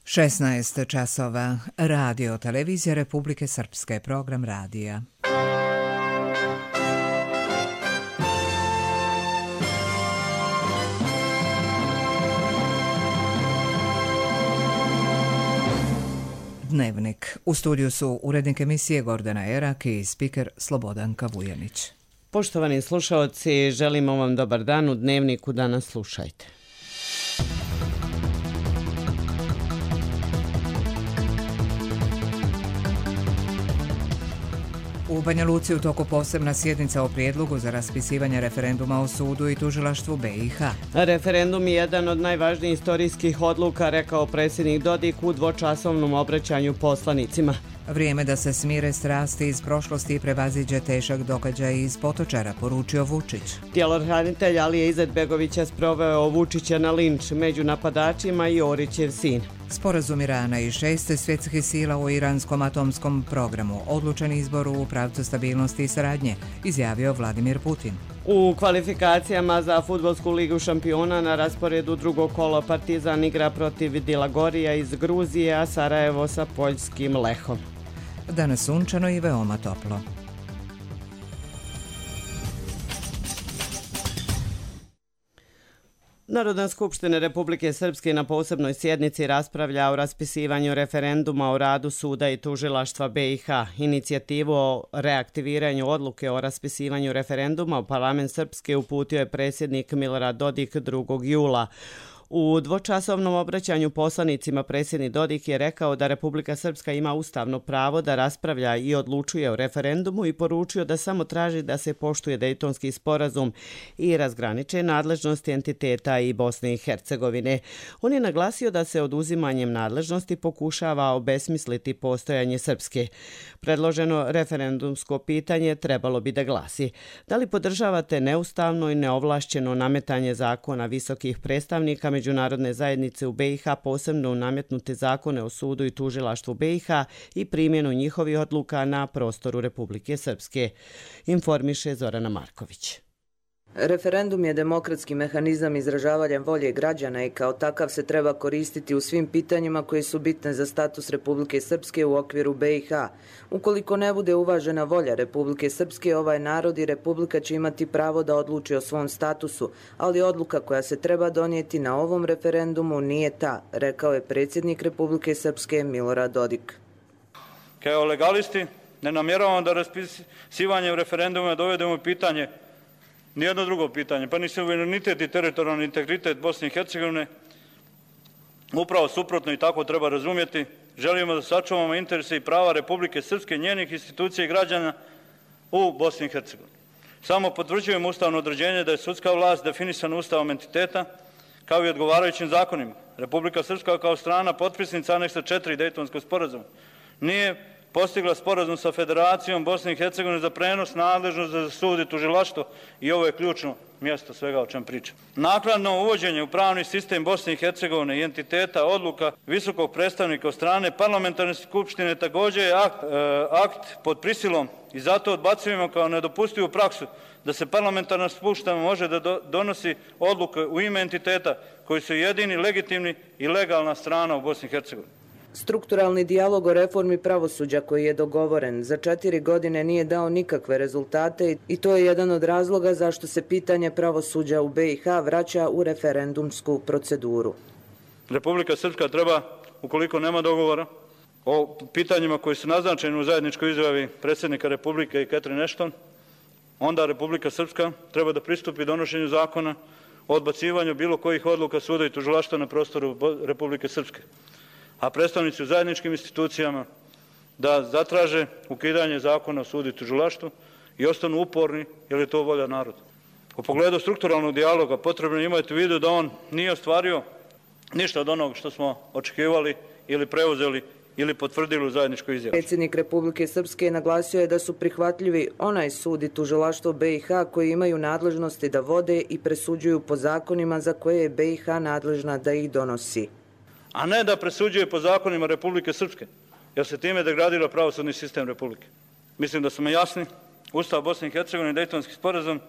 16 časova. Radio Televizija Republike Srpske. Program radija. Dnevnik. U studiju su urednik emisije Gordana Erak i spiker Slobodanka Vujanić. Poštovani slušaoci, želimo vam dobar dan. U Dnevniku danas slušajte. U Banja Luci u toku posebna sjednica o prijedlogu za raspisivanje referenduma o sudu i tužilaštvu BiH. Referendum je jedan od najvažnijih istorijskih odluka, rekao predsjednik Dodik u dvočasovnom obraćanju poslanicima. Vrijeme da se smire strasti iz prošlosti i prevaziđe težak događaj iz Potočara, poručio Vučić. Tjelohranitelj Alija Izetbegovića sproveo Vučića na linč među napadačima i Orićev sin. Sporazum Irana i 6 svjetskih sila u iranskom atomskom programu. Odlučen izbor u pravcu stabilnosti i saradnje, izjavio Vladimir Putin. U kvalifikacijama za Fudbalsku ligu šampiona na rasporedu drugog kola Partizan igra protiv Dilagorija iz Gruzije, a Sarajevo sa poljskim Lehom. Danas sunčano i veoma toplo. Narodna skupština Republike Srpske na posebnoj sjednici raspravlja o raspisivanju referenduma o radu suda i tužilaštva BiH. Inicijativu o reaktiviranju odluke o raspisivanju referenduma u parlament Srpske uputio je predsjednik Milorad Dodik 2. jula. U dvočasovnom obraćanju poslanicima predsjednik Dodik je rekao da Republika Srpska ima ustavno pravo da raspravlja i odlučuje o referendumu i poručio da samo traži da se poštuje Dejtonski sporazum i razgraniče nadležnosti entiteta i Bosne i Hercegovine. On je naglasio da se oduzimanjem nadležnosti pokušava obesmisliti postojanje Srpske. Predloženo referendumsko pitanje trebalo bi da glasi: da li podržavate neustavno i neovlašćeno nametanje zakona visokih predstavnika međunarodne zajednice u BiH, posebno nametnute zakone o sudu i tužilaštvu BiH i primjenu njihovih odluka na prostoru Republike Srpske, informiše Zorana Marković. Referendum je demokratski mehanizam izražavanja volje građana i kao takav se treba koristiti u svim pitanjima koje su bitne za status Republike Srpske u okviru BiH. Ukoliko ne bude uvažena volja Republike Srpske, ovaj narod i Republika će imati pravo da odluči o svom statusu, ali odluka koja se treba donijeti na ovom referendumu nije ta, rekao je predsjednik Republike Srpske Milorad Dodik. Kao legalisti ne namjeravamo da raspisivanjem referenduma dovedemo u pitanje nijedno drugo pitanje, pa ni suverenitet i teritorijalni integritet Bosne i Hercegovine. Upravo suprotno i tako treba razumjeti. Želimo da sačuvamo interese i prava Republike Srpske, njenih institucija i građana u Bosni i Hercegovini. Samo potvrđujemo ustavno određenje da je sudska vlast definisana ustavom entiteta kao i odgovarajućim zakonima. Republika Srpska kao strana potpisnica aneksa 4 Dejtonskog sporazuma nije postigla sporazum sa Federacijom Bosne i Hercegovine za prenos nadležnosti za sud i tužilaštvo i ovo je ključno mjesto svega o čem pričam. Naknadno uvođenje u pravni sistem Bosne i Hercegovine i entiteta odluka visokog predstavnika od strane parlamentarne skupštine također je akt pod prisilom i zato odbacujemo kao nedopustivu praksu da se parlamentarna skupština može da donosi odluke u ime entiteta koji su jedini legitimni i legalna strana u Bosni i Hercegovini. Strukturalni dijalog o reformi pravosuđa koji je dogovoren za 4 godine nije dao nikakve rezultate i to je jedan od razloga zašto se pitanje pravosuđa u BiH vraća u referendumsku proceduru. Republika Srpska treba, ukoliko nema dogovora o pitanjima koji su naznačeni u zajedničkoj izjavi predsjednika Republike i Catherine Ashton, onda Republika Srpska treba da pristupi donošenju zakona o odbacivanju bilo kojih odluka suda i tužilaštva na prostoru Republike Srpske, a predstavnici u zajedničkim institucijama da zatraže ukidanje zakona o sudu i tužilaštvu i ostanu uporni jer je to volja naroda. U pogledu strukturalnog dijaloga potrebno je imati u vidu da on nije ostvario ništa od onog što smo očekivali ili preuzeli ili potvrdili u zajedničkoj izjavi. Predsjednik Republike Srpske naglasio je da su prihvatljivi onaj sud i tužilaštvo BiH koji imaju nadležnosti da vode i presuđuju po zakonima za koje je BiH nadležna da ih donosi, a ne da presuđuje po zakonima Republike Srpske, jer se time degradira pravosudni sistem Republike. Mislim da smo jasni. Ustav Bosne i Hercegovine i Dejtonski sporazum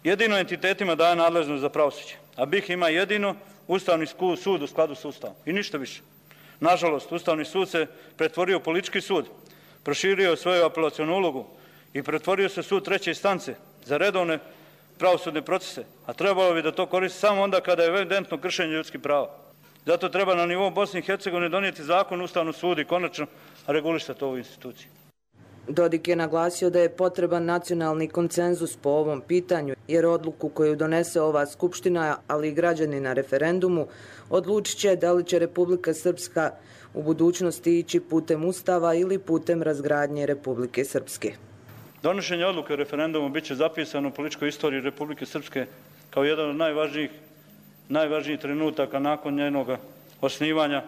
jedino entitetima daje nadležnost za pravosuđe, a BiH ima jedino Ustavni sud u skladu s Ustavom i ništa više. Nažalost, Ustavni sud se pretvorio u politički sud, proširio svoju apelacionu ulogu i pretvorio se sud treće instance za redovne pravosudne procese, a trebalo bi da to koristi samo onda kada je evidentno kršenje ljudskih prava. Zato treba na nivou Bosne i Hercegovine donijeti zakon o Ustavnom sudu i konačno regulisati ovu instituciju. Dodik je naglasio da je potreban nacionalni konsenzus po ovom pitanju, jer odluku koju donese ova Skupština, ali i građani na referendumu, odlučit će da li će Republika Srpska u budućnosti ići putem Ustava ili putem razgradnje Republike Srpske. Donošenje odluke o referendumu bit će zapisano u političkoj istoriji Republike Srpske kao jedan od najvažnijih trenutaka nakon njenog osnivanja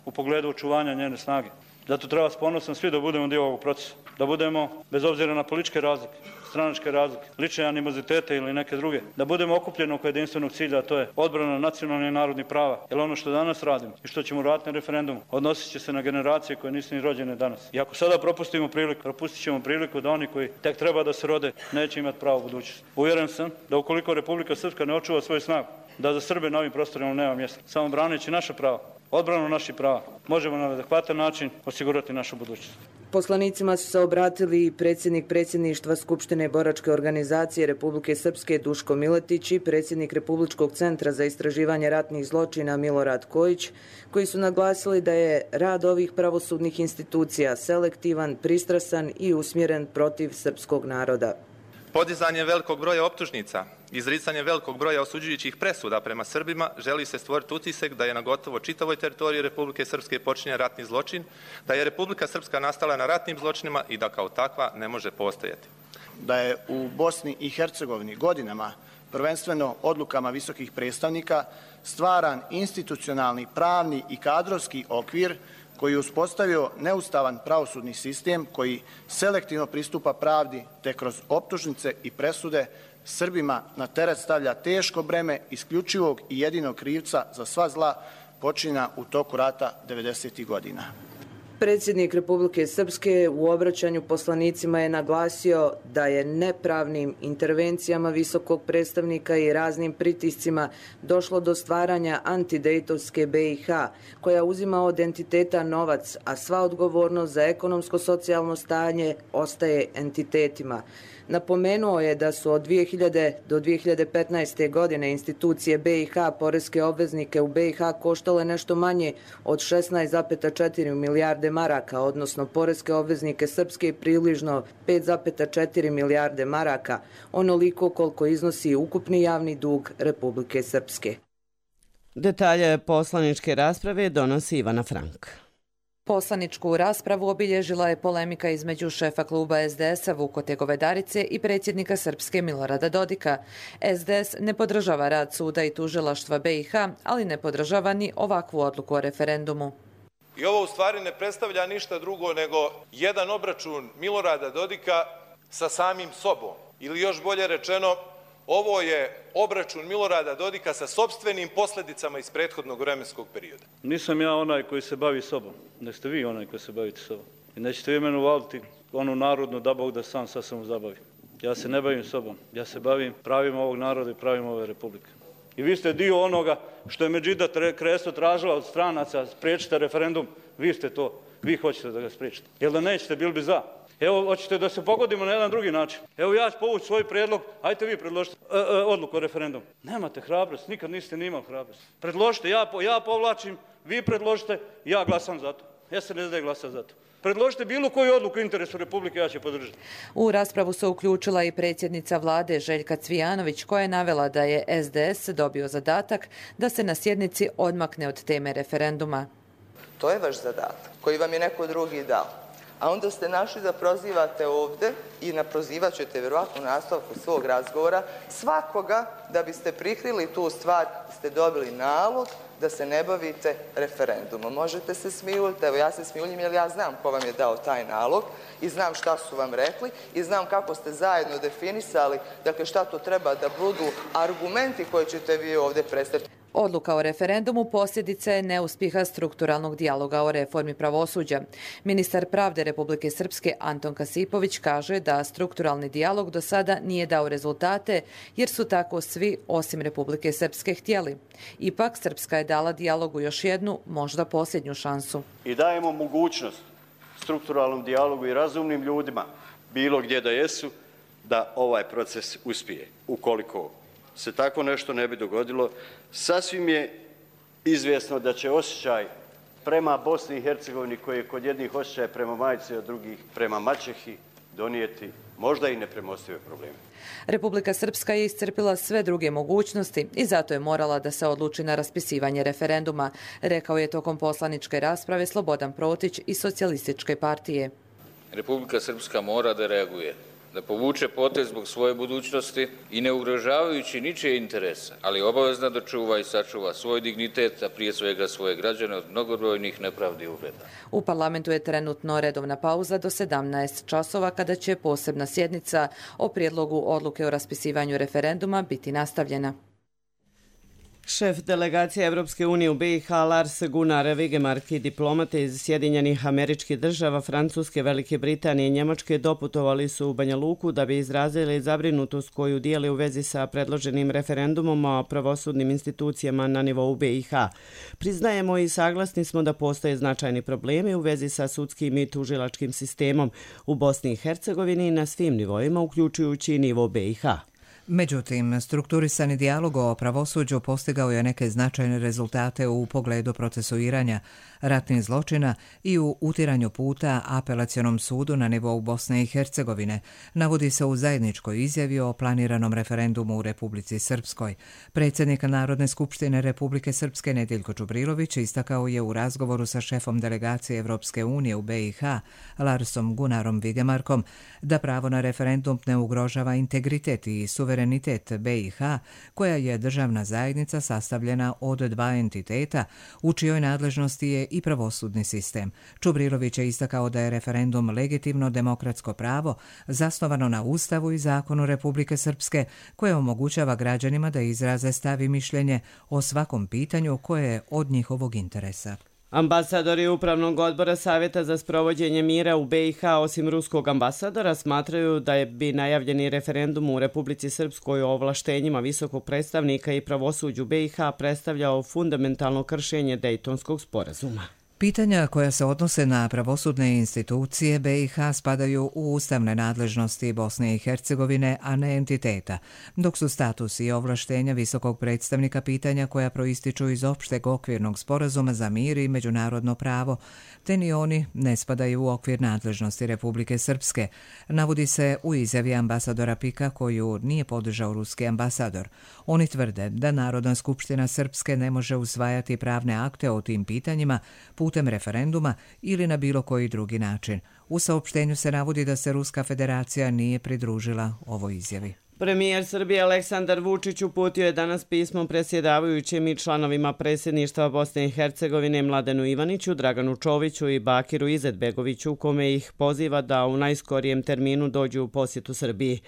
u pogledu očuvanja njene snage. Zato treba s ponosom svi da budemo dio ovog procesa, da budemo, bez obzira na političke razlike, stranačke razlike, lične animozitete ili neke druge, da budemo okupljeni oko jedinstvenog cilja, a to je odbrana nacionalnih i narodnih prava. Jer ono što danas radimo i što ćemo raditi na referendumu odnosit će se na generacije koje nisu ni rođene danas. I ako sada propustit ćemo priliku da oni koji tek treba da se rode neće imati pravo u budućnosti. Uvjeren sam da ukoliko Republika Srpska ne očuva svoju snagu, da za Srbe na ovim prostorima nema mjesta. Samo braneći naša prava, odbranu naših prava, možemo na adekvatan način osigurati našu budućnost. Poslanicima su se obratili i predsjednik predsjedništva Skupštine boračke organizacije Republike Srpske Duško Miletić i predsjednik Republičkog centra za istraživanje ratnih zločina Milorad Kojić, koji su naglasili da je rad ovih pravosudnih institucija selektivan, pristrasan i usmjeren protiv srpskog naroda. Podizanje velikog broja optužnica, izricanje velikog broja osuđujućih presuda prema Srbima želi se stvoriti utisak da je na gotovo čitavoj teritoriji Republike Srpske počinjen ratni zločin, da je Republika Srpska nastala na ratnim zločinima i da kao takva ne može postojati. Da je u Bosni i Hercegovini godinama, prvenstveno odlukama visokih predstavnika, stvaran institucionalni, pravni i kadrovski okvir koji je uspostavio neustavan pravosudni sistem koji selektivno pristupa pravdi te kroz optužnice i presude Srbima na teret stavlja teško breme isključivog i jedinog krivca za sva zla počinjena u toku rata 90. godina. Predsjednik Republike Srpske u obraćanju poslanicima je naglasio da je nepravnim intervencijama visokog predstavnika i raznim pritiscima došlo do stvaranja antidejtovske BiH, koja uzima od entiteta novac, a sva odgovornost za ekonomsko-socijalno stanje ostaje entitetima. Napomenuo je da su od 2000. do 2015. godine institucije BiH poreske obveznike u BiH koštale nešto manje od 16,4 milijarde maraka, odnosno poreske obveznike Srpske približno 5,4 milijarde maraka, onoliko koliko iznosi ukupni javni dug Republike Srpske. Detalje poslaničke rasprave donosi Ivana Frank. Poslaničku raspravu obilježila je polemika između šefa kluba SDS-a Vukote Govedarice i predsjednika Srpske Milorada Dodika. SDS ne podržava rad suda i tužilaštva BiH, ali ne podržava ni ovakvu odluku o referendumu. I ovo u stvari ne predstavlja ništa drugo nego jedan obračun Milorada Dodika sa samim sobom. Ili još bolje rečeno, ovo je obračun Milorada Dodika sa sopstvenim posljedicama iz prethodnog vremenskog perioda. Nisam ja onaj koji se bavi sobom, nek ste vi onaj koji se bavite sobom. I nećete vi mene uvaliti onu narodnu da Bog da sam sa sobom zabavi. Ja se ne bavim sobom, ja se bavim pravima ovog naroda i pravima ove republike. I vi ste dio onoga što je Medžida Kresto tražila od stranaca, spriječite referendum, vi ste to, vi hoćete da ga spriječite. Jel da nećete, bili bi za. Evo, hoćete da se pogodimo na jedan drugi način. Evo ja ću povući svoj prijedlog, ajte vi predložite odluku o referendumu. Nemate hrabrost, nikad niste ni imali hrabrost. Predložite, ja povlačim, vi predložite, ja glasam za to. SNSD glasa za to. Predložite bilo koju odluku u interesu Republike, ja ću podržati. U raspravu se uključila i predsjednica vlade Željka Cvijanović, koja je navela da je SDS dobio zadatak da se na sjednici odmakne od teme referenduma. To je vaš zadatak, koji vam je neko drugi dao. A onda ste našli da prozivate ovdje i naprozivat ćete vjerovatno u nastavku svog razgovora svakoga da biste prikrili tu stvar, ste dobili nalog da se ne bavite referendumom. Možete se smijuljiti, evo ja se smijuljim jer ja znam ko vam je dao taj nalog i znam šta su vam rekli i znam kako ste zajedno definisali, dakle šta to treba da budu argumenti koje ćete vi ovdje predstaviti. Odluka o referendumu posljedica je neuspjeha strukturalnog dijaloga o reformi pravosuđa. Ministar pravde Republike Srpske Anton Kasipović kaže da strukturalni dijalog do sada nije dao rezultate jer su tako svi osim Republike Srpske htjeli. Ipak Srpska je dala dijalogu još jednu, možda posljednju šansu. I dajemo mogućnost strukturalnom dijalogu i razumnim ljudima, bilo gdje da jesu, da ovaj proces uspije. Ukoliko se tako nešto ne bi dogodilo, sasvim je izvjesno da će osjećaj prema Bosni i Hercegovini, koji je kod jednih osjećaj prema majci, a drugih prema maćehi, donijeti možda i nepremostive probleme. Republika Srpska je iscrpila sve druge mogućnosti i zato je morala da se odluči na raspisivanje referenduma, rekao je tokom poslaničke rasprave Slobodan Protić iz Socijalističke partije. Republika Srpska mora da reaguje, da povuče potez zbog svoje budućnosti i ne ugrožavajući ničije interese, ali obavezna da čuva i sačuva svoj dignitet, a prije svega svoje građane od mnogobrojnih nepravdi i uvreda. U parlamentu je trenutno redovna pauza do 17 časova kada će posebna sjednica o prijedlogu odluke o raspisivanju referenduma biti nastavljena. Šef delegacije Evropske unije u BiH Lars Gunnar Vigemark i diplomate iz Sjedinjenih Američkih Država, Francuske, Velike Britanije i Njemačke doputovali su u Banja Luku da bi izrazili zabrinutost koju dijeli u vezi sa predloženim referendumom o pravosudnim institucijama na nivou BiH. Priznajemo i saglasni smo da postoje značajni problemi u vezi sa sudskim i tužilačkim sistemom u Bosni i Hercegovini na svim nivoima, uključujući i nivo BiH. Međutim, strukturisani dijalog o pravosuđu postigao je neke značajne rezultate u pogledu procesuiranja ratnih zločina i u utiranju puta apelacionom sudu na nivou Bosne i Hercegovine, navodi se u zajedničkoj izjavi o planiranom referendumu u Republici Srpskoj. Predsjednik Narodne skupštine Republike Srpske Nediljko Čubrilović istakao je u razgovoru sa šefom delegacije Evropske unije u BiH, Larsom Gunnarom Vigemarkom, da pravo na referendum ne ugrožava integritet i suverenitet BiH, koja je državna zajednica sastavljena od dva entiteta, u čijoj nadležnosti je i pravosudni sistem. Čubrilović je istakao da je referendum legitimno demokratsko pravo zasnovano na Ustavu i zakonu Republike Srpske, koje omogućava građanima da izraze stav i mišljenje o svakom pitanju koje je od njihovog interesa. Ambasadori Upravnog odbora Savjeta za sprovođenje mira u BiH, osim ruskog ambasadora, smatraju da bi najavljeni referendum u Republici Srpskoj o ovlaštenjima visokog predstavnika i pravosuđu BiH predstavljao fundamentalno kršenje Dejtonskog sporazuma. Pitanja koja se odnose na pravosudne institucije BiH spadaju u ustavne nadležnosti Bosne i Hercegovine, a ne entiteta, dok su status i ovlaštenja visokog predstavnika pitanja koja proističu iz opšteg okvirnog sporazuma za mir i međunarodno pravo, te ni oni ne spadaju u okvir nadležnosti Republike Srpske, navodi se u izjavi ambasadora Pika koju nije podržao ruski ambasador. Oni tvrde da Narodna skupština Srpske ne može usvajati pravne akte o tim pitanjima putem referenduma ili na bilo koji drugi način. U saopštenju se navodi da se Ruska federacija nije pridružila ovoj izjavi. Premijer Srbije Aleksandar Vučić uputio je danas pismo predsjedavajućim i članovima predsjedništva Bosne i Hercegovine Mladenu Ivaniću, Draganu Čoviću i Bakiru Izetbegoviću, u kome ih poziva da u najskorijem terminu dođu u posjetu Srbiji.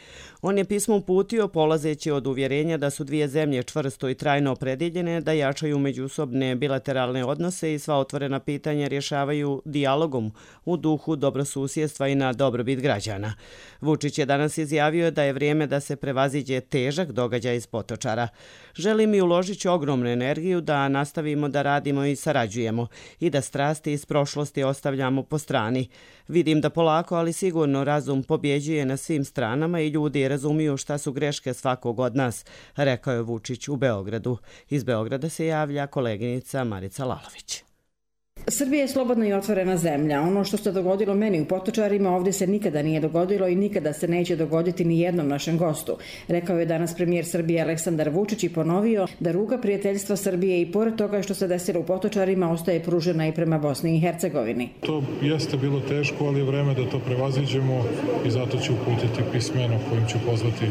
On je pismo uputio polazeći od uvjerenja da su dvije zemlje čvrsto i trajno opredjeljene da jačaju međusobne bilateralne odnose i sva otvorena pitanja rješavaju dijalogom u duhu dobrosusjedstva i na dobrobit građana. Vučić je danas izjavio da je vrijeme da se prevaziđe težak događaj iz Potočara. Želim i uložit ću ogromnu energiju da nastavimo da radimo i sarađujemo i da strasti iz prošlosti ostavljamo po strani. Vidim da polako, ali sigurno razum pobjeđuje na svim stranama i ljudi razumiju šta su greške svakog od nas, rekao je Vučić u Beogradu. Iz Beograda se javlja koleginica Marica Lalović. Srbija je slobodna i otvorena zemlja. Ono što se dogodilo meni u Potočarima ovdje se nikada nije dogodilo i nikada se neće dogoditi ni jednom našem gostu, rekao je danas premijer Srbije Aleksandar Vučić i ponovio da ruka prijateljstva Srbije i pored toga što se desilo u Potočarima ostaje pružena i prema Bosni i Hercegovini. To jeste bilo teško, ali je vreme da to prevaziđemo i zato ću uputiti pismeno kojim ću pozvati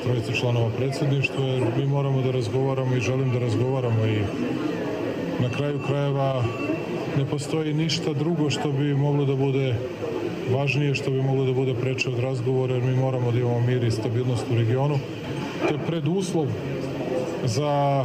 trojicu članova predsjedništva, jer mi moramo da razgovaramo i želim da razgovaramo i na kraju krajeva ne postoji ništa drugo što bi moglo da bude važnije, što bi moglo da bude preče od razgovora, jer mi moramo da imamo mir i stabilnost u regionu. To je preduslov za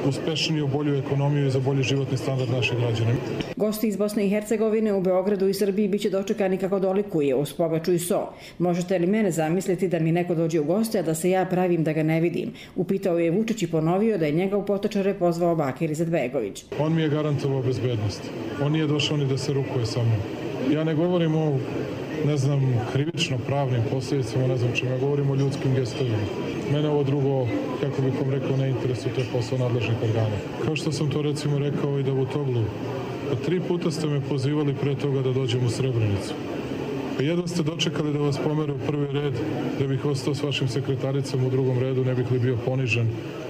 uspešniju, bolju ekonomiju i za bolji životni standard naših građana. Gosti iz Bosne i Hercegovine u Beogradu i Srbiji biće dočekani kako dolikuje, uz pogaču i so. Možete li mene zamisliti da mi neko dođe u goste, a da se ja pravim da ga ne vidim? Upitao je Vučić i ponovio da je njega u Potočare pozvao Bakir Izetbegović. On mi je garantovao bezbednost. On nije došao ni da se rukuje sa mnom. Ja ne govorim o, krivično-pravnim posljedicama, ne znam čemu, ja govorim o ljudskim gestovima. Mene ovo drugo, kako bih vam rekao, ne interesuje, to je posao nadležnih organa. Kao što sam to recimo rekao i Davutoglu, 3 puta ste me pozivali pre toga da dođem u Srebrenicu. Jedva ste dočekali da vas pomeru u prvi red, da bih ostao s vašim sekretaricom u drugom redu, ne bih li bio ponižen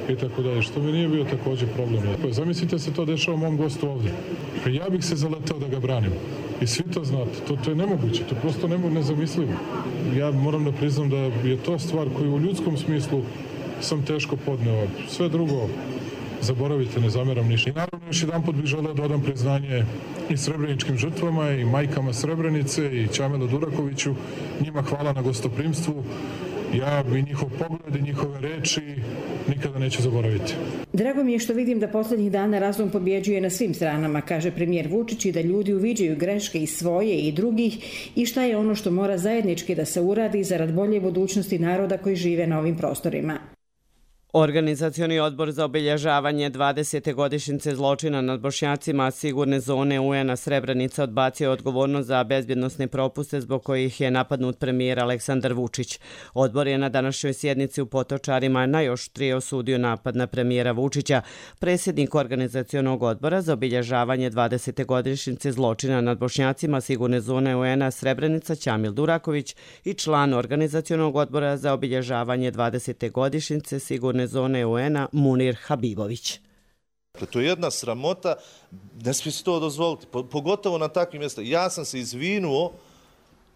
i tako dalje, što mi nije bio također problem. Zamislite se to dešava mom gostu ovdje. Ja bih se zaletao da ga branim. I svi to znate, to je nemoguće, to prosto nezamislivo. Ja moram da priznam da je to stvar koju u ljudskom smislu sam teško podneo. Sve drugo zaboravite, ne zameram ništa. I naravno još jedan put bih želeo da odam priznanje i srebreničkim žrtvama i majkama Srebrenice i Čamelu Durakoviću. Njima hvala na gostoprimstvu. Ja i njihov pogled i njihove reči nikada neću zaboraviti. Drago mi je što vidim da posljednjih dana razum pobjeđuje na svim stranama, kaže premijer Vučić, i da ljudi uviđaju greške i svoje i drugih i šta je ono što mora zajednički da se uradi zarad bolje budućnosti naroda koji žive na ovim prostorima. Organizacioni odbor za obilježavanje 20. godišnjice zločina nad Bošnjacima sigurne zone UN-a Srebrenica odbacio odgovornost za bezbjednosne propuste zbog kojih je napadnut premijer Aleksandar Vučić. Odbor je na današnjoj sjednici u Potočarima najoštrije osudio napad na premijera Vučića. Predsjednik Organizacionog odbora za obilježavanje 20. godišnjice zločina nad Bošnjacima sigurne zone UN-a Srebrenica Čamil Duraković i član Organizacionog odbora za obilježavanje 20. godišnjice sigurne zone UN-a Munir Habibović. To je jedna sramota, ne smije se to dozvoliti, pogotovo na takvim mjestima. Ja sam se izvinuo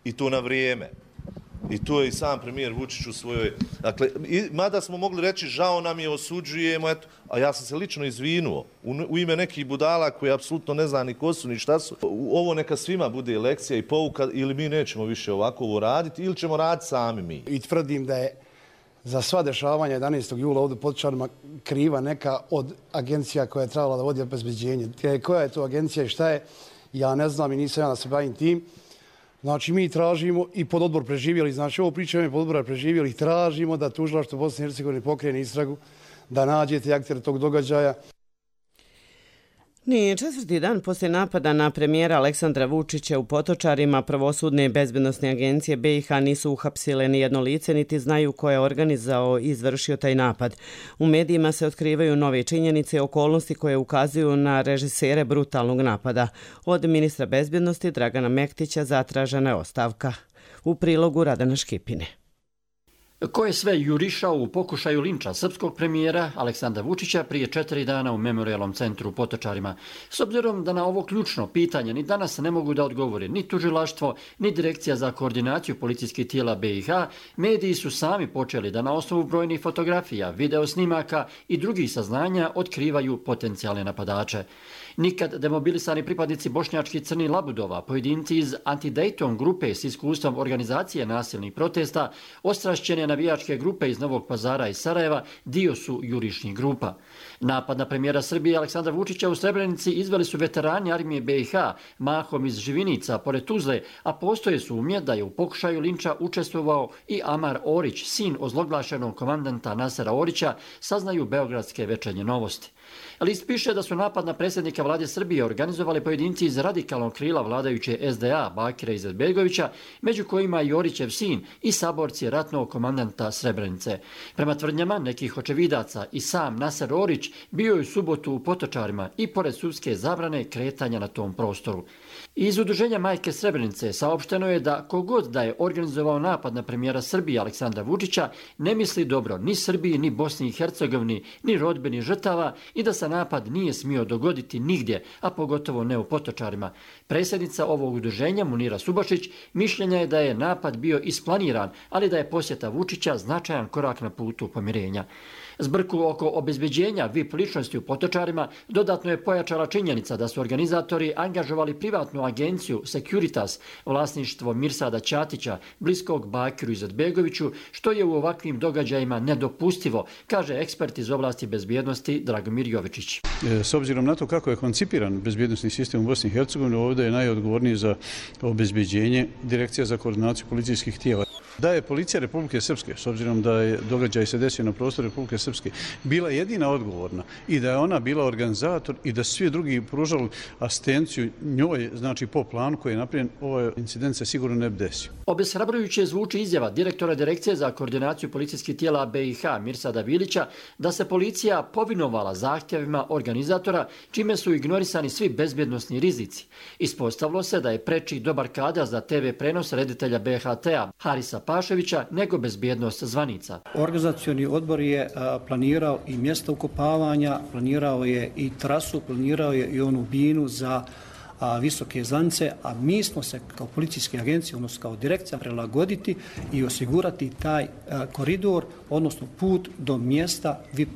i to na vrijeme. I to je i sam premijer Vučić u svojoj... Dakle, mada smo mogli reći žao nam je, osuđujemo, eto, a ja sam se lično izvinuo u ime nekih budala koji apsolutno ne zna ni ko su ni šta su. Ovo neka svima bude lekcija i pouka, ili mi nećemo više ovako ovo raditi, ili ćemo raditi sami mi. I tvrdim da je za sva dešavanja 11. jula ovdje u Potočarima kriva neka od agencija koja je trebala da vodi obezbeđenje. Koja je to agencija i šta je, ja ne znam i nisam ja da se bavim tim. Znači, mi tražimo i pod odbor preživjeli, znači ovo pričamo i pod odbora preživjeli, tražimo da tužilaštvo Bosne i Hercegovine pokrene istragu, da nađete aktere tog događaja. Nije četvrti dan poslije napada na premijera Aleksandra Vučića u Potočarima, pravosudne i bezbednosne agencije BiH nisu uhapsile ni jedno lice, niti znaju ko je organizao i izvršio taj napad. U medijima se otkrivaju nove činjenice i okolnosti koje ukazuju na režisere brutalnog napada. Od ministra bezbednosti Dragana Mektića zatražena je ostavka. U prilogu Radana Škipine. Ko je sve jurišao u pokušaju linča srpskog premijera Aleksandra Vučića prije 4 dana u Memorijalnom centru u Potočarima? S obzirom da na ovo ključno pitanje ni danas ne mogu da odgovore ni tužilaštvo, ni Direkcija za koordinaciju policijskih tijela BiH, mediji su sami počeli da na osnovu brojnih fotografija, video snimaka i drugih saznanja otkrivaju potencijalne napadače. Nikad demobilisani pripadnici bošnjačkih crnih labudova, pojedinci iz Anti-Dayton grupe s iskustvom organizacije nasilnih protesta, ostrašćene navijačke grupe iz Novog Pazara i Sarajeva dio su jurišnih grupa. Napad na premijera Srbije Aleksandra Vučića u Srebrenici izveli su veterani armije BiH, mahom iz Živinica, pored Tuzle, a postoje sumnje da je u pokušaju linča učestvovao i Amar Orić, sin ozloglašenog komandanta Nasera Orića, saznaju beogradske Večernje novosti. List piše da su napad na predsjednika vlade Srbije organizovali pojedinci iz radikalnog krila vladajuće SDA Bakira Izetbegovića, među kojima i Orićev sin i saborci ratnog komandanta Srebrenice. Prema tvrdnjama nekih očevidaca i sam Naser Orić bio je u subotu u Potočarima i pored sudske zabrane kretanja na tom prostoru. Iz udruženja Majke Srebrenice saopšteno je da kogod da je organizovao napad na premijera Srbije Aleksandra Vučića ne misli dobro ni Srbiji, ni Bosni i Hercegovini, ni rodbini žrtava i da se napad nije smio dogoditi nigdje, a pogotovo ne u Potočarima. Predsjednica ovog udruženja Munira Subašić mišljenja je da je napad bio isplaniran, ali da je posjeta Vučića značajan korak na putu pomirenja. Zbrku oko obezbeđenja VIP ličnosti u Potočarima dodatno je pojačala činjenica da su organizatori angažovali privatnu agenciju Securitas, vlasništvo Mirsada Ćatića, bliskog Bakiru Izetbegoviću, što je u ovakvim događajima nedopustivo, kaže ekspert iz oblasti bezbjednosti Dragomir Jovičić. S obzirom na to kako je koncipiran bezbjednosni sistem u Bosni i Hercegovini, ovdje je najodgovorniji za obezbeđenje Direkcija za koordinaciju policijskih tijela. Da je policija Republike Srpske, s obzirom da je događaj se desio na prostoru Republike Srpske, bila jedina odgovorna i da je ona bila organizator i da svi drugi pružali asistenciju njoj, znači po planu koji je napravljen, ovaj incident se sigurno ne bi desio. Obeshrabrujuće zvuči izjava direktora Direkcije za koordinaciju policijskih tijela BiH Mirsada Vilića da se policija povinovala zahtjevima organizatora, čime su ignorisani svi bezbjednosni rizici. Ispostavilo se da je preči dobar kadar za TV prenos reditelja BHT-a Harisa Paševića nego bezbjednost zvanica. Organizacioni odbor je planirao i mjesto ukopavanja, planirao je i trasu, planirao je i onu binu za visoke zvanice, a mi smo se kao policijske agencije, odnosno kao direkcija, prilagoditi i osigurati taj koridor, odnosno put do mjesta VIP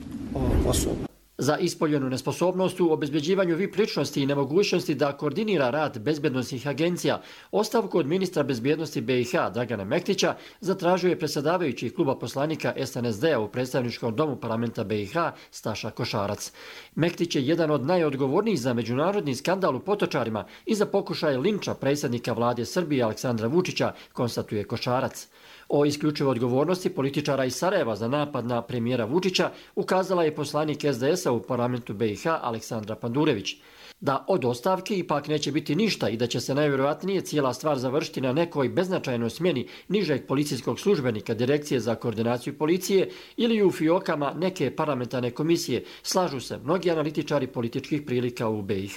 osoba. Za ispoljenu nesposobnost u obezbeđivanju VIP ličnosti i nemogućnosti da koordinira rad bezbjednosnih agencija, ostavku od ministra bezbjednosti BiH Dragana Mektića zatražio je predsjedavajući kluba poslanika SNSD-a u predstavničkom domu parlamenta BiH Staša Košarac. Mektić je jedan od najodgovornijih za međunarodni skandal u Potočarima i za pokušaj linča predsjednika vlade Srbije Aleksandra Vučića, konstatuje Košarac. O isključivoj odgovornosti političara iz Sarajeva za napad na premijera Vučića ukazala je poslanik SDS-a u parlamentu BiH Aleksandra Pandurević. Da od ostavke ipak neće biti ništa i da će se najvjerojatnije cijela stvar završiti na nekoj beznačajnoj smjeni nižeg policijskog službenika Direkcije za koordinaciju policije ili u fiokama neke parlamentarne komisije, slažu se mnogi analitičari političkih prilika u BiH.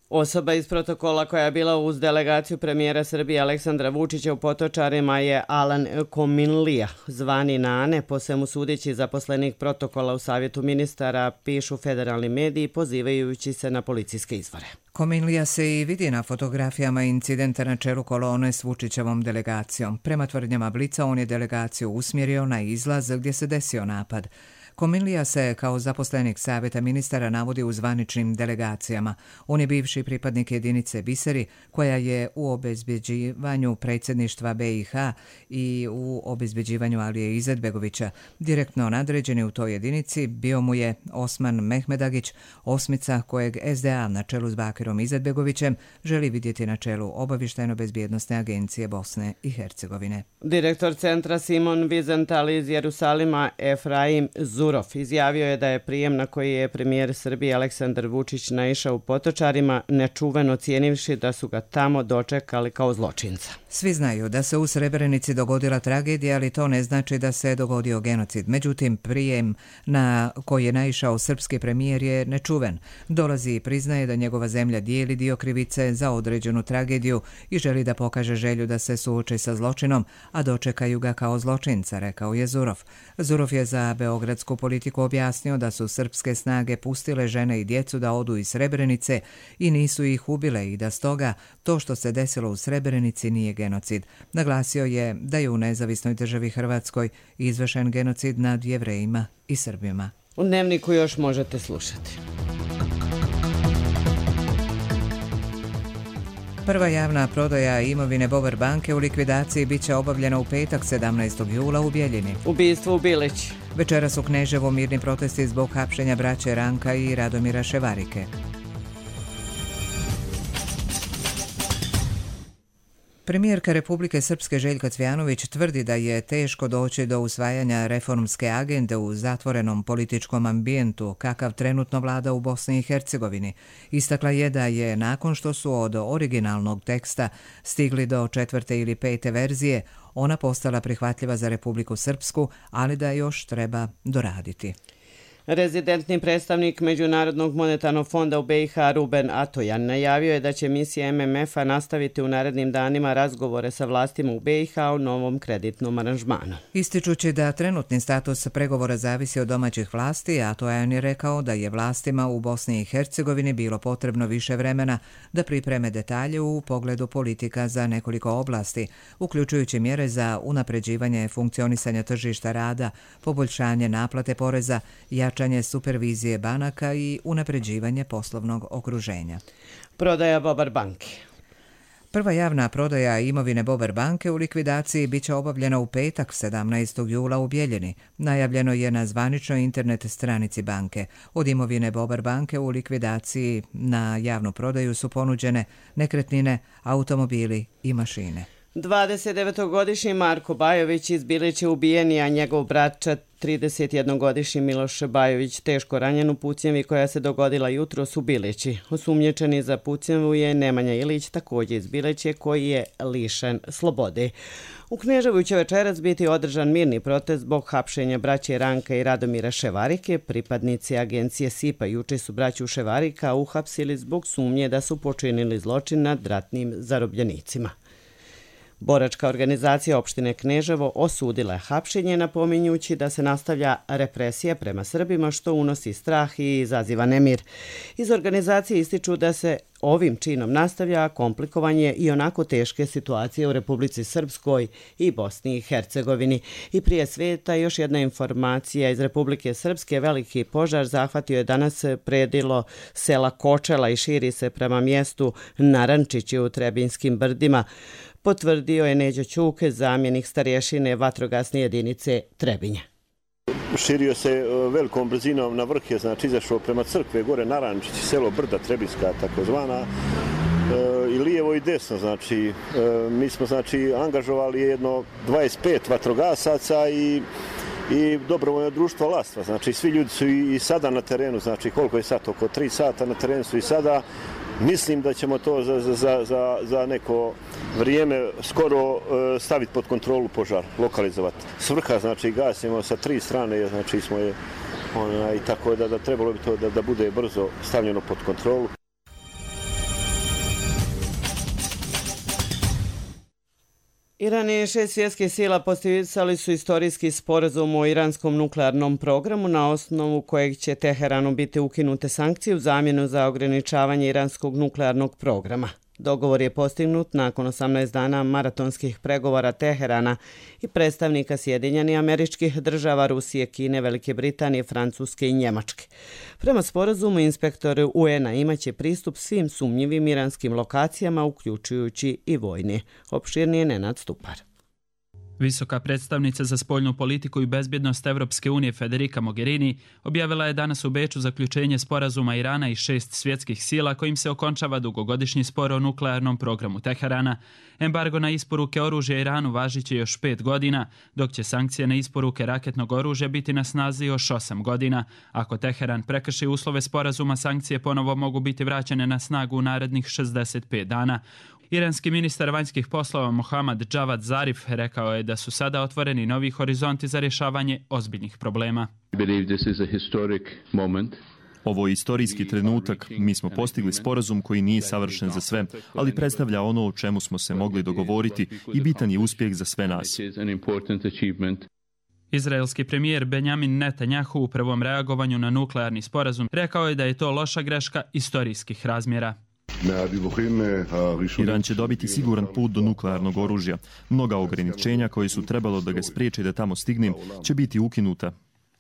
Osoba iz protokola koja je bila uz delegaciju premijera Srbije Aleksandra Vučića u Potočarima je Alan Kominlija, zvani Nane, po svemu sudeći zaposlenik protokola u Savjetu ministara, pišu federalni mediji pozivajući se na policijske izvore. Kominlija se i vidi na fotografijama incidenta na čelu kolone s Vučićevom delegacijom. Prema tvrdnjama Blica, on je delegaciju usmjerio na izlaz gdje se desio napad. Kominlija se kao zaposlenik Savjeta ministara navodi u zvaničnim delegacijama. On je bivši pripadnik jedinice Biseri, koja je u obezbeđivanju predsjedništva BiH i u obezbeđivanju Alije Izetbegovića. Direktno nadređeni u toj jedinici bio mu je Osman Mehmedagić, osmica kojeg SDA na čelu s Bakirom Izetbegovićem želi vidjeti na čelu Obavještajno-bezbjednosne agencije Bosne i Hercegovine. Direktor centra Simon Wiesenthal iz Jerusalima Efraim Zurov izjavio je da je prijem na koji je premijer Srbije Aleksandar Vučić naišao u Potočarima nečuveno cijenivši da su ga tamo dočekali kao zločinca. Svi znaju da se u Srebrenici dogodila tragedija, ali to ne znači da se dogodio genocid. Međutim, prijem na koji je naišao srpski premijer je nečuven. Dolazi i priznaje da njegova zemlja dijeli dio krivice za određenu tragediju i želi da pokaže želju da se suoči sa zločinom, a dočekaju ga kao zločinca, rekao je Zurov. Zurov je za beogradsku politiku objasnio da su srpske snage pustile žene i djecu da odu iz Srebrenice i nisu ih ubile i da stoga to što se desilo u Srebrenici nije genocid. Naglasio je da je u nezavisnoj državi Hrvatskoj izvršen genocid nad Jevrejima i Srbima. U Dnevniku još možete slušati. Prva javna prodaja imovine Bover banke u likvidaciji biće obavljena u petak 17. jula u Bjeljini. Ubistvo u Bilić. Večeras u Kneževu mirni protesti zbog hapšenja braće Ranka i Radomira Ševarike. Premijerka Republike Srpske Željka Cvjanović tvrdi da je teško doći do usvajanja reformske agende u zatvorenom političkom ambijentu kakav trenutno vlada u Bosni i Hercegovini. Istakla je da je nakon što su od originalnog teksta stigli do 4. ili 5. verzije, ona postala prihvatljiva za Republiku Srpsku, ali da još treba doraditi. Rezidentni predstavnik Međunarodnog monetarnog fonda u BiH Ruben Atojan najavio je da će misija MMF-a nastaviti u narednim danima razgovore sa vlastima u BiH o novom kreditnom aranžmanu. Ističući da trenutni status pregovora zavisi od domaćih vlasti, Atojan je rekao da je vlastima u Bosni i Hercegovini bilo potrebno više vremena da pripreme detalje u pogledu politika za nekoliko oblasti, uključujući mjere za unapređivanje funkcionisanja tržišta rada, poboljšanje naplate poreza, jačanje supervizije banaka i unapređivanje poslovnog okruženja. Prodaja Bobar banke. Prva javna prodaja imovine Bobar banke u likvidaciji biće obavljena u petak 17. jula u Bijeljini. Najavljeno je na zvaničnoj internet stranici banke. Od imovine Bobar banke u likvidaciji na javnu prodaju su ponuđene nekretnine, automobili i mašine. 29-godišnji Marko Bajović iz Bilića ubijen je, a njegov brat 31-godišnji Miloš Bajović teško ranjen u pucnjevi koja se dogodila jutros u Bilići. Osumnjičeni za pucnjevu je Nemanja Ilić, također iz Biliće, koji je lišen slobode. U Kneževu će večeras biti održan mirni protest zbog hapšenja braće Ranka i Radomira Ševarike. Pripadnici agencije SIPA juče su braću Ševarika uhapsili zbog sumnje da su počinili zločin nad ratnim zarobljenicima. Boračka organizacija opštine Kneževo osudila je hapšenje, napominjući da se nastavlja represija prema Srbima, što unosi strah i izaziva nemir. Iz organizacije ističu da se ovim činom nastavlja komplikovanje i onako teške situacije u Republici Srpskoj i Bosni i Hercegovini. I prije sveta još jedna informacija iz Republike Srpske. Veliki požar zahvatio je danas predilo sela Kočela i širi se prema mjestu Narančići u Trebinskim brdima, potvrdio je Neđo Ćuke, zamjenik starješine vatrogasne jedinice Trebinje. Širio se velikom brzinom na vrh, je znači izašao prema crkve, gore Narančići, selo Brda Trebinska takozvana, i lijevo i desno, znači mi smo znači angažovali jedno 25 vatrogasaca i dobrovoljno društvo Lastva, znači svi ljudi su i sada na terenu, znači koliko je sad, oko 3 sata na terenu su i sada. Mislim da ćemo to za neko vrijeme skoro staviti pod kontrolu požar, lokalizovati. Svrha, znači, gasimo sa 3 strane, znači smo je, i tako da trebalo bi to da bude brzo stavljeno pod kontrolu. Iran i 6 svjetskih sila potpisali su istorijski sporazum o iranskom nuklearnom programu, na osnovu kojeg će Teheranu biti ukinute sankcije u zamjenu za ograničavanje iranskog nuklearnog programa. Dogovor je postignut nakon 18 dana maratonskih pregovora Teherana i predstavnika Sjedinjenih Američkih Država, Rusije, Kine, Velike Britanije, Francuske i Njemačke. Prema sporazumu, inspektori UN-a imaće pristup svim sumnjivim iranskim lokacijama, uključujući i vojne. Opširnije Nenad Stupar. Visoka predstavnica za spoljnu politiku i bezbjednost Evropske unije Federica Mogherini objavila je danas u Beču zaključenje sporazuma Irana i 6 svjetskih sila kojim se okončava dugogodišnji spor o nuklearnom programu Teherana. Embargo na isporuke oružja Iranu važiće još 5 godina, dok će sankcije na isporuke raketnog oružja biti na snazi još 8 godina. Ako Teheran prekrši uslove sporazuma, sankcije ponovo mogu biti vraćene na snagu u narednih 65 dana. Iranski ministar vanjskih poslova Mohammad Javad Zarif rekao je da su sada otvoreni novi horizonti za rješavanje ozbiljnih problema. Ovo je istorijski trenutak. Mi smo postigli sporazum koji nije savršen za sve, ali predstavlja ono o čemu smo se mogli dogovoriti i bitan je uspjeh za sve nas. Izraelski premijer Benjamin Netanjahu u prvom reagovanju na nuklearni sporazum rekao je da je to loša greška istorijskih razmjera. Iran će dobiti siguran put do nuklearnog oružja. Mnoga ograničenja koje su trebalo da ga spriječe da tamo stigne će biti ukinuta.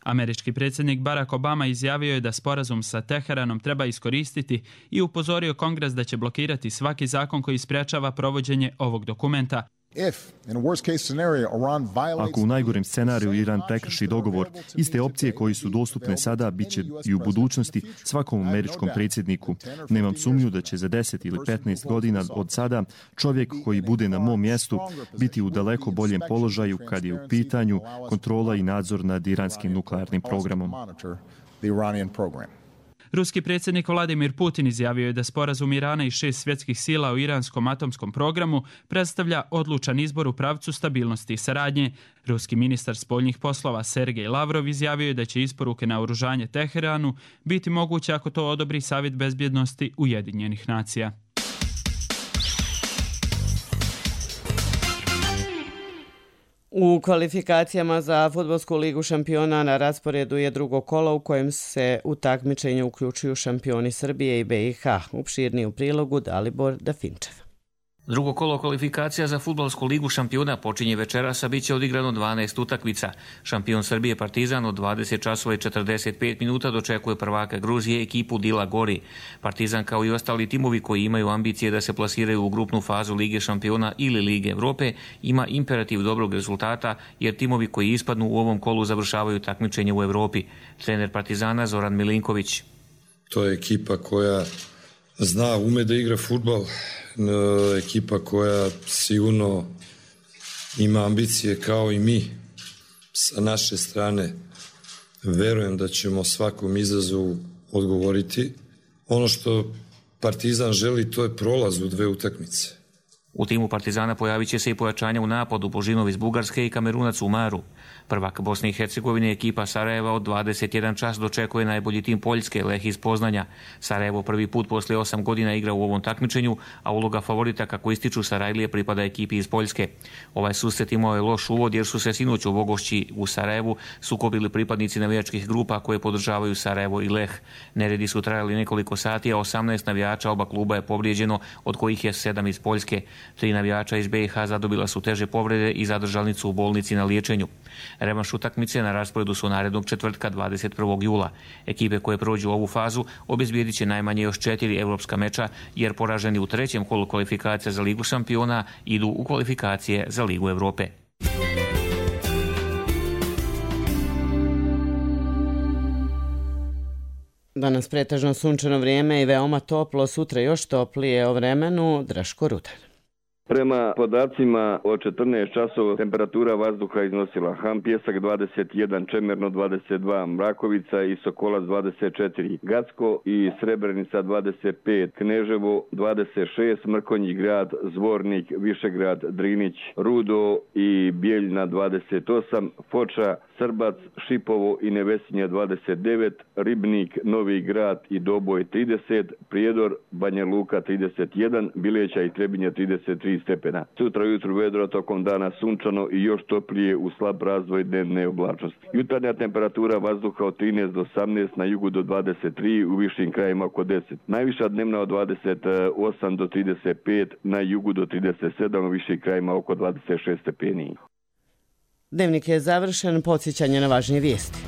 Američki predsjednik Barack Obama izjavio je da sporazum sa Teheranom treba iskoristiti i upozorio Kongres da će blokirati svaki zakon koji sprječava provođenje ovog dokumenta. Ako u najgorem scenariju Iran prekrši dogovor, iste opcije koji su dostupne sada bit će i u budućnosti svakom američkom predsjedniku. Nemam sumnju da će za 10 ili 15 godina od sada čovjek koji bude na mom mjestu biti u daleko boljem položaju kad je u pitanju kontrola i nadzor nad iranskim nuklearnim programom. Ruski predsjednik Vladimir Putin izjavio je da sporazum Irana i 6 svjetskih sila o iranskom atomskom programu predstavlja odlučan izbor u pravcu stabilnosti i saradnje. Ruski ministar spoljnih poslova Sergej Lavrov izjavio je da će isporuke naoružanje Teheranu biti moguće ako to odobri Savjet bezbjednosti Ujedinjenih nacija. U kvalifikacijama za Fudbalsku ligu šampiona na rasporedu je drugo kolo u kojem se u takmičenje uključuju šampioni Srbije i BiH. Opširniji u prilogu Dalibor Dafinčev. Drugo kolo kvalifikacija za Fudbalsku ligu šampiona počinje večeras, a bit će odigrano 12 utakmica. Šampion Srbije Partizan od 20 časova i 45 minuta dočekuje prvaka Gruzije ekipu Dila Gori. Partizan kao i ostali timovi koji imaju ambicije da se plasiraju u grupnu fazu Lige šampiona ili Lige Evrope ima imperativ dobrog rezultata, jer timovi koji ispadnu u ovom kolu završavaju takmičenje u Evropi. Trener Partizana Zoran Milinković. To je ekipa koja zna, ume da igra fudbal, ekipa koja sigurno ima ambicije kao i mi sa naše strane. Verujem da ćemo svakom izazovu odgovoriti. Ono što Partizan želi, to je prolaz u 2 utakmice. U timu Partizana pojavit će se i pojačanja u napadu Božinov iz Bugarske i Kamerunac Umaru. Prvak Bosne i Hercegovine ekipa Sarajeva od 21 čas dočekuje najbolji tim Poljske, Leh iz Poznanja. Sarajevo prvi put posle 8 godina igra u ovom takmičenju, a uloga favorita kako ističu Sarajlije pripada ekipi iz Poljske. Ovaj susret imao je loš uvod jer su se sinoć u Vogošći u Sarajevu sukobili pripadnici navijačkih grupa koje podržavaju Sarajevo i Leh. Neredi su trajali nekoliko sati, a 18 navijača oba kluba je povrijeđeno, od kojih je 7 iz Poljske. 3 navijača iz BiH zadobila su teže povrede i zadržani su u bolnici na liječenju. Revanš utakmice na rasporedu su narednog četvrtka 21. jula. Ekipe koje prođu ovu fazu obezbijedit će najmanje još 4 evropska meča, jer poraženi u trećem kolu kvalifikacija za Ligu šampiona idu u kvalifikacije za Ligu Evrope. Danas pretežno sunčano vrijeme i veoma toplo, sutra još toplije o vremenu. Draško Rudar. Prema podacima od 14 časova temperatura vazduha iznosila Ham Pjesak 21, Čemerno 22, Mrakovica i Sokolac 24, Gacko i Srebrenica 25, Kneževo 26, Mrkonji grad, Zvornik, Višegrad, Drinić, Rudo i Bijeljna 28, Foča, Srbac, Šipovo i Nevesinja 29, Ribnik, Novi grad i Doboj 30, Prijedor, Banja Luka 31, Bileća i Trebinja 33 stepena. Sutra ujutru vedro, tokom dana sunčano i još toplije u slab razvoj dnevne oblačnosti. Jutarnja temperatura vazduha od 13 do 18, na jugu do 23, u višim krajima oko 10. Najviša dnevna od 28 do 35, na jugu do 37, u višim krajima oko 26 stepeni. Dnevnik je završen, podsjećanje na važnije vijesti.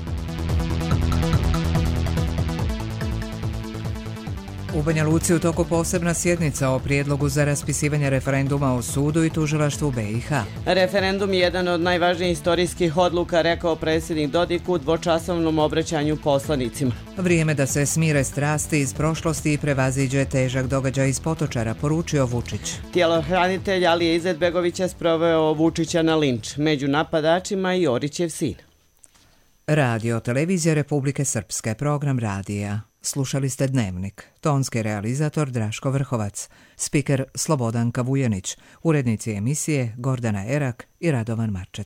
U Banja Luci u toku posebna sjednica o prijedlogu za raspisivanje referenduma o sudu i tužilaštvu BiH. Referendum je jedan od najvažnijih istorijskih odluka, rekao predsjednik Dodik u dvočasovnom obraćanju poslanicima. Vrijeme da se smire strasti iz prošlosti i prevaziđe težak događaj iz Potočara, poručio Vučić. Tjelohranitelj Alije Izetbegovića sproveo Vučića na linč, među napadačima i Orićev sin. Radio Televizija Republike Srpske, program radija. Slušali ste Dnevnik. Tonski realizator Draško Vrhovac, spiker Slobodanka Vujanić, urednici emisije Gordana Erak i Radovan Marčet.